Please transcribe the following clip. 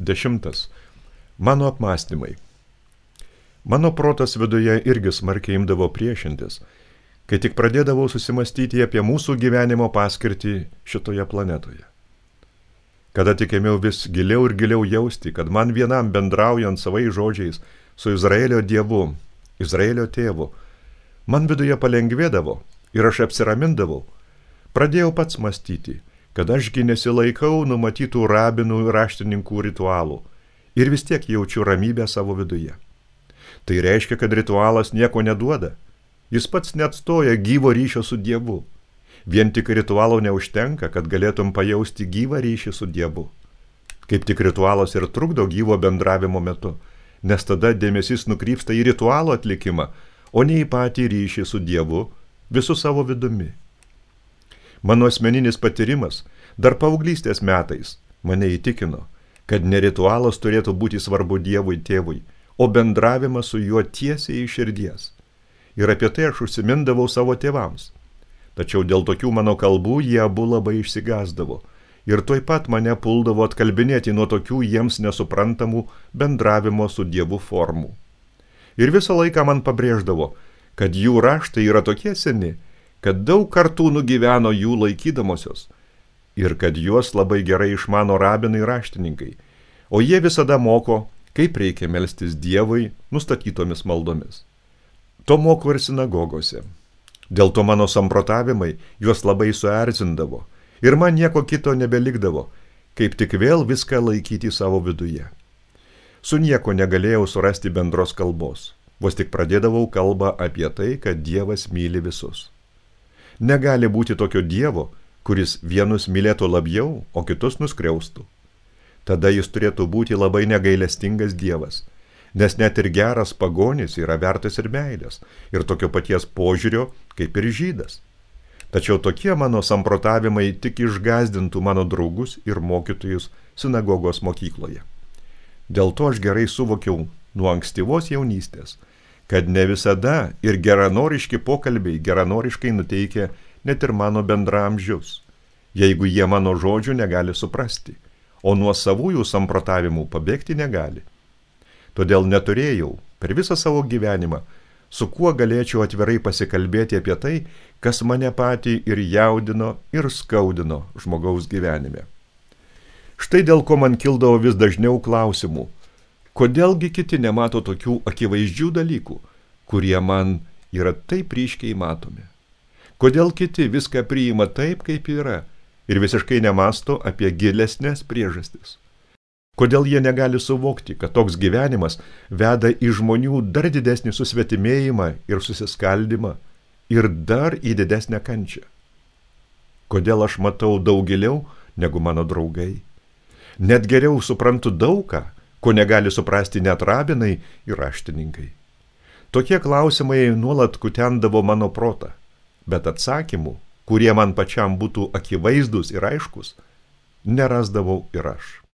10. Mano apmąstymai. Mano protas viduje irgi smarkiai imdavo priešintis, kai tik pradėdavau susimastyti apie mūsų gyvenimo paskirtį šitoje planetoje. Kada tik ėmiau vis giliau ir giliau jausti, kad man vienam bendraujant savais žodžiais su Izraelio Dievu, Izraelio tėvu, man viduje palengvėdavo ir aš apsiramindavau, pradėjau pats mąstyti, kad ašgi nesilaikau numatytų rabinų ir raštininkų ritualų ir vis tiek jaučiu ramybę savo viduje. Tai reiškia, kad ritualas nieko neduoda, jis pats neatstoja gyvo ryšio su Dievu. Vien tik ritualo neužtenka, kad galėtum pajausti gyvą ryšį su Dievu. Kaip tik ritualas ir trukdo gyvo bendravimo metu, nes tada dėmesys nukrypsta į ritualo atlikimą, o ne į patį ryšį su Dievu visu savo vidumi. Mano asmeninis patyrimas dar paauglystės metais mane įtikino, kad ne ritualas turėtų būti svarbu Dievui tėvui, o bendravimas su juo tiesiai iš širdies. Ir apie tai aš užsimindavau savo tėvams. Tačiau dėl tokių mano kalbų jie abu labai išsigąsdavo ir tuoj pat mane puldavo atkalbinėti nuo tokių jiems nesuprantamų bendravimo su Dievu formų. Ir visą laiką man pabrėždavo, kad jų raštai yra tokie seni, kad daug kartų nugyveno jų laikydamosios ir kad juos labai gerai išmano rabinai raštininkai, o jie visada moko, kaip reikia melstis Dievui nustatytomis maldomis. To moko ir sinagogose. Dėl to mano samprotavimai juos labai suerzindavo ir man nieko kito nebelikdavo, kaip tik vėl viską laikyti savo viduje. Su nieko negalėjau surasti bendros kalbos, vos tik pradėdavau kalbą apie tai, kad Dievas myli visus. Negali būti tokio Dievo, kuris vienus mylėtų labiau, o kitus nuskriaustų. Tada jis turėtų būti labai negailestingas Dievas, nes net ir geras pagonis yra vertas ir meilės, ir tokio paties požiūrio kaip ir žydas. Tačiau tokie mano samprotavimai tik išgąsdintų mano draugus ir mokytojus sinagogos mokykloje. Dėl to aš gerai suvokiau nuo ankstyvos jaunystės, kad ne visada ir geranoriški pokalbiai geranoriškai nuteikia net ir mano bendraamžius, jeigu jie mano žodžių negali suprasti, o nuo savųjų samprotavimų pabėgti negali. Todėl neturėjau per visą savo gyvenimą, su kuo galėčiau atvirai pasikalbėti apie tai, kas mane patį ir jaudino, ir skaudino žmogaus gyvenime. Štai dėl ko man kildavo vis dažniau klausimų, kodėlgi kiti nemato tokių akivaizdžių dalykų, kurie man yra taip ryškiai matomi. Kodėl kiti viską priima taip, kaip yra, ir visiškai nemasto apie gilesnės priežastis. Kodėl jie negali suvokti, kad toks gyvenimas veda į žmonių dar didesnį susvetimėjimą ir susiskaldimą ir dar į didesnę kančią. Kodėl aš matau daug giliau negu mano draugai. Net geriau suprantu daugą, ko negali suprasti net rabinai ir raštininkai. Tokie klausimai nuolat kutendavo mano protą, bet atsakymų, kurie man pačiam būtų akivaizdus ir aiškus, nerasdavau ir aš.